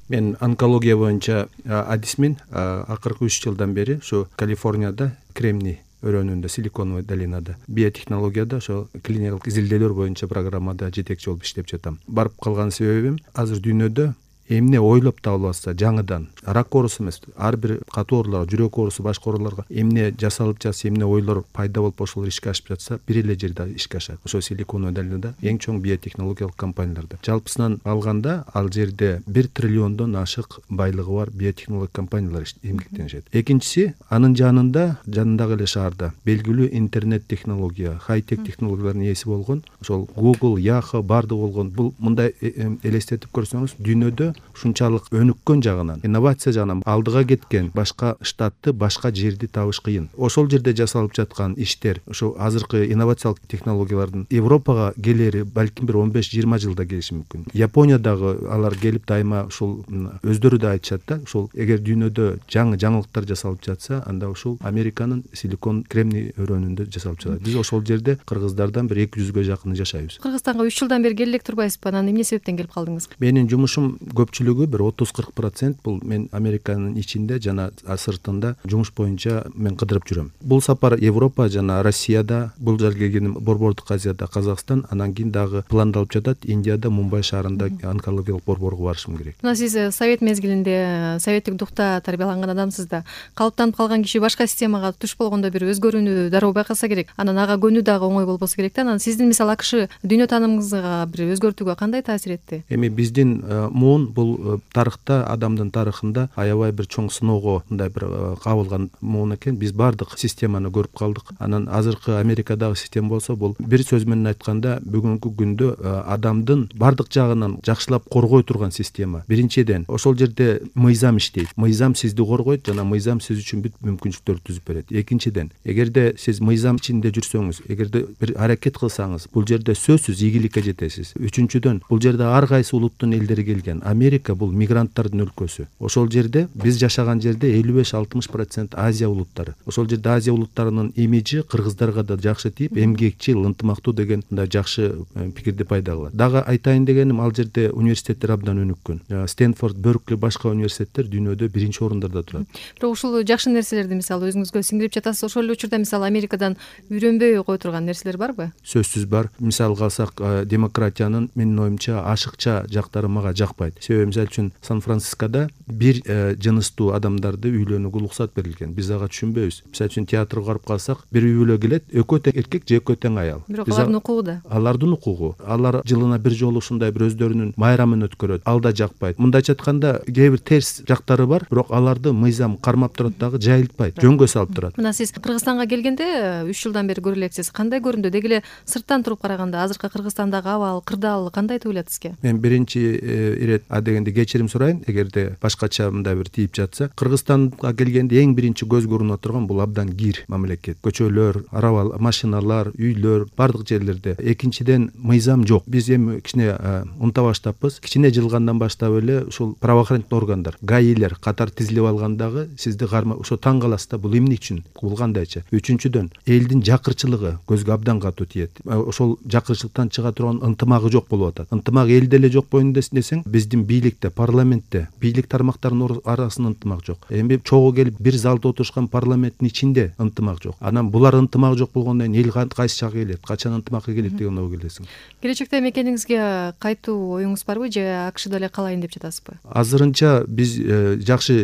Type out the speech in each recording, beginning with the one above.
Мен онкология боюнча адисмин. Акыркы 3 жылдан бери ушу Калифорнияда Кремний өрөөнүндө, Силиконовый долинада биотехнологияда ошо клиникалык изилдөөлөр боюнча программада жетекчи болуп иштеп жатам. Барып калган себебим азыр дүйнөдө эмне ойлоп табылбаса жаңыдан рак оорусу эмес, ар бир катуу ооруларга, жүрөк оорусу, башка ооруларга эмне жасалып жатса, эмне ойлор пайда болуп ошолор ишке ашып жатса, бир эле жерде ишке ашат. Ошо Силиконовый долинада эң чоң биотехнологиялык компанияларда. Жалпысынан алганда ал жерде 1 триллиондон ашык байлыгы бар биотехнологиялык компаниялар эмгектенишет. Экинчиси, анын жанындагы эле шаарда белгилүү интернет технология, хай-тек технологиялардын ээси болгон ошол Google, Yahoo бардыгы болгон. Бул мындай элестетип көрсөңүз, дүйнөдө ушунчалык өнүккөн жагынан, инновация жагынан алдыга кеткен башка штатты, башка жерди табыш кыйын. Ошол жерде жасалып жаткан иштер, ошо азыркы инновациялык технологиялардын Европага келери балким бир 15-20 жылда келиши мүмкүн. Япониядагы алар келип дайыма ушул өздөрү да айтышат да, ушул эгер дүйнөдө жаңылыктар жасалып жатса, анда ушул Американын Силикон Кремний өрөөнүндө жасалып жатат. Биз ошол жерде кыргыздардан бир 200гө жакын жашайбыз. Кыргызстанга 3 жылдан бери келе элек турбайсызбы? Анан эмне себептен келип калдыңыз? Менин жумушум көпчүлүгү бир 30-40% бул мен Американын ичинде жана сыртында жумуш боюнча мен кыдырып жүрөм. Бул сапар Европа жана Россияда, бул жер келгеним Борбордук Азияда Казакстан, анан кийин дагы пландалып жатат Индияда Мумбай шаарында онкологиялык борборго барышым керек. Мына сиз совет мезгилинде советтик духта тарбияланган адамсыз да. Калыптанып калган киши башка системага туш болгондо бир өзгөрүүнү дароо байкаса керек. Анан ага көнүү дагы оңой болбосо керек да. Анан сиздин мисалы АКШ дүйнө таанымыңызга бир өзгөртүүгө кандай таасир этти? Эми биздин муун бул тарыхта, адамдын тарыхында аябай бир чоң сыноого мындай бир кабылган муун экен. Биз бардык системаны көрүп калдык. Анан азыркы Америкадагы система болсо, бул бир сөз менен айтканда бүгүнкү күндө адамдын бардык жагынан жакшылап коргой турган система. Биринчиден, ошол жерде мыйзам иштейт. Мыйзам сизди коргойт жана мыйзам сиз үчүн бүт мүмкүнчүлүктөрдү түзүп берет. Экинчиден, эгерде сиз мыйзам ичинде жүрсөңүз, эгерде бир аракет кылсаңыз, бул жерде сөзсүз ийгиликке жетесиз. Үчүнчүдөн, бул жерде ар кайсы улуттун элдери келген. Америка бул мигранттардын өлкөсү. Ошол жерде биз жашаган жерде 55-60% Азия улуттары. Ошол жерде Азия улуттарынын имиджи кыргыздарга да жакшы тийип, эмгекчил, ынтымактуу деген мындай жакшы пикирди пайда кылат. Дагы айтайын дегеним, ал жерде университеттер абдан өнүккөн. Стэнфорд, Беркли, башка университеттер дүйнөдө биринчи орундарда турат. Бирок ушул жакшы нерселерди мисалы өзүңүзгө сиңдирип жатасыз. Ошол эле учурда мисалы Америкадан үйрөнбөй кой турган нерселер барбы? Сөзсүз бар. Мисалга алсак, демократиянын менин оюмча ашыкча жактары мага жакпайт. Себеби мисалы үчүн Сан-Францискода бир жыныстуу адамдарды үйлөнүүгө уруксат берилген. Биз ага түшүнбөйбүз. Мисалы үчүн театрга барып калсак, бир үй бүлө келет, экөө тең эркек же экөө тең аял. Бирок алардын укугу да. Алардын укугу. Алар жылына бир жолу ушундай бир өздөрүнүн майрамын өткөрөт. Ал да жакпайт. Мындайча айтканда, кээ бир терс жактары бар, бирок аларды мыйзам кармап турат дагы, жайылтпайт, жөнгө салып турат. Мына сиз Кыргызстанга келгенде 3 жылдан бери көрө элексиз. Кандай көрүндү? Деги эле сырттан туруп караганда азыркы Кыргызстандагы абал, кырдаал кандай туюлат сизге? Мен биринчи ирет дегенде кечирим сурайын, эгерде башкача мындай бир тийип жатса. Кыргызстанга келгенде эң биринчи көз көрүнүп турган бул абдан кир мамлекет. Көчөлөр, арабалар, машиналар, үйлөр, бардык жерлерде. Экинчиден, мыйзам жок. Биз эми кичине унута баштаппыз. Кичине жылгандан баштап эле ушул правоохранительный органдар, гаилер катар тизилип алгандагы сизди ошо таң каласыз да, бул эмне үчүн, бул кандайча. Үчүнчүдөн, элдин жакырчылыгы көзгө абдан катуу тиет. Ошол жакырчылыктан чыга турган ынтымагы жок болуп атат. Ынтымак элде эле жок боюнда десең, биздин бийликте, парламентте, бийлик тармактарынын арасында ынтымак жок. Эми чогуу келип бир залда отурушкан парламенттин ичинде ынтымак жок. Анан булар ынтымак жок болгондон кийин эл кайсы жакка келет, качан ынтымакка келет деген ой келесиң. Келечекте мекениңизге кайтуу оюңуз барбы же АКШда эле калайын деп жатасызбы? Азырынча биз жакшы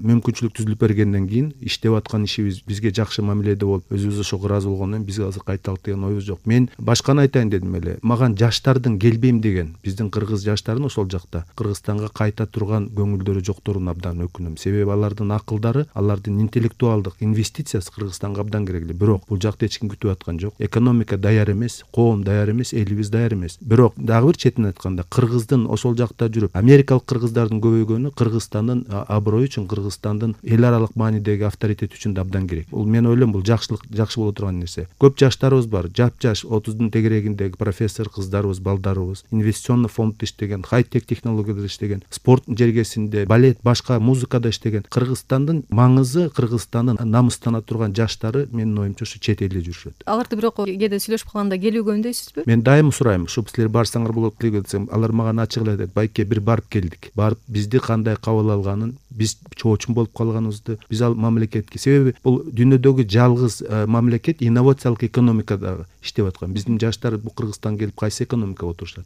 мүмкүнчүлүк түзүлүп бергенден кийин иштеп аткан ишибиз бизге жакшы мамиледе болуп, өзүбүз ошого ыраазы болгондон кийин биз азыр кайталык деген оюбуз жок. Мен башканы айтайын дедим эле. Маган жаштардын келбейм деген, биздин кыргыз жаштарынын ошол жакта Кыргызстанга кайта турган көңүлдөрү жокторуна абдан өкүнөм. Себеби алардын акылдары, алардын интеллектуалдык инвестициясы Кыргызстанга абдан керектүү. Бирок бул жакта эч ким күтүп аткан жок. Экономика даяр эмес, коом даяр эмес, элибиз даяр эмес. Бирок дагы бир четинен айтканда, кыргыздын ошол жакта жүрүп, америкалык кыргыздардын көбөйгөнү Кыргызстандын аброю үчүн, Кыргызстандын эл аралык маанидеги авторитети үчүн да абдан керек. Бул мен ойлойм, бул жакшы боло турган нерсе. Көп жаштарыбыз бар, жап-жаш 30-дун тегерегиндеги профессор кыздарыбыз, балдарыбыз, инвестиционный фонддо иштеген, хай-тек технология технологияда иштеген, спорт жергесинде, балет, башка музыкада иштеген Кыргызстандын маңызы, Кыргызстандын намыстана турган жаштары менин оюмча ушу чет элде жүрүшөт. Аларды бирок кээде сүйлөшүп калганда келүүгө үндөйсүзбү? Мен дайым сурайм, ушу силер барсаңар болот десем, алар мага ачык эле айтат: байке, бир барып келдик, барып бизди кандай кабыл алганын, биз чоочун болуп калганыбызды, биз ал мамлекетке, себеби бул дүйнөдөгү жалгыз мамлекет инновациялык экономикада иштеп аткан. Биздин жаштар бул Кыргызстанга келип кайсы экономикага отурушат?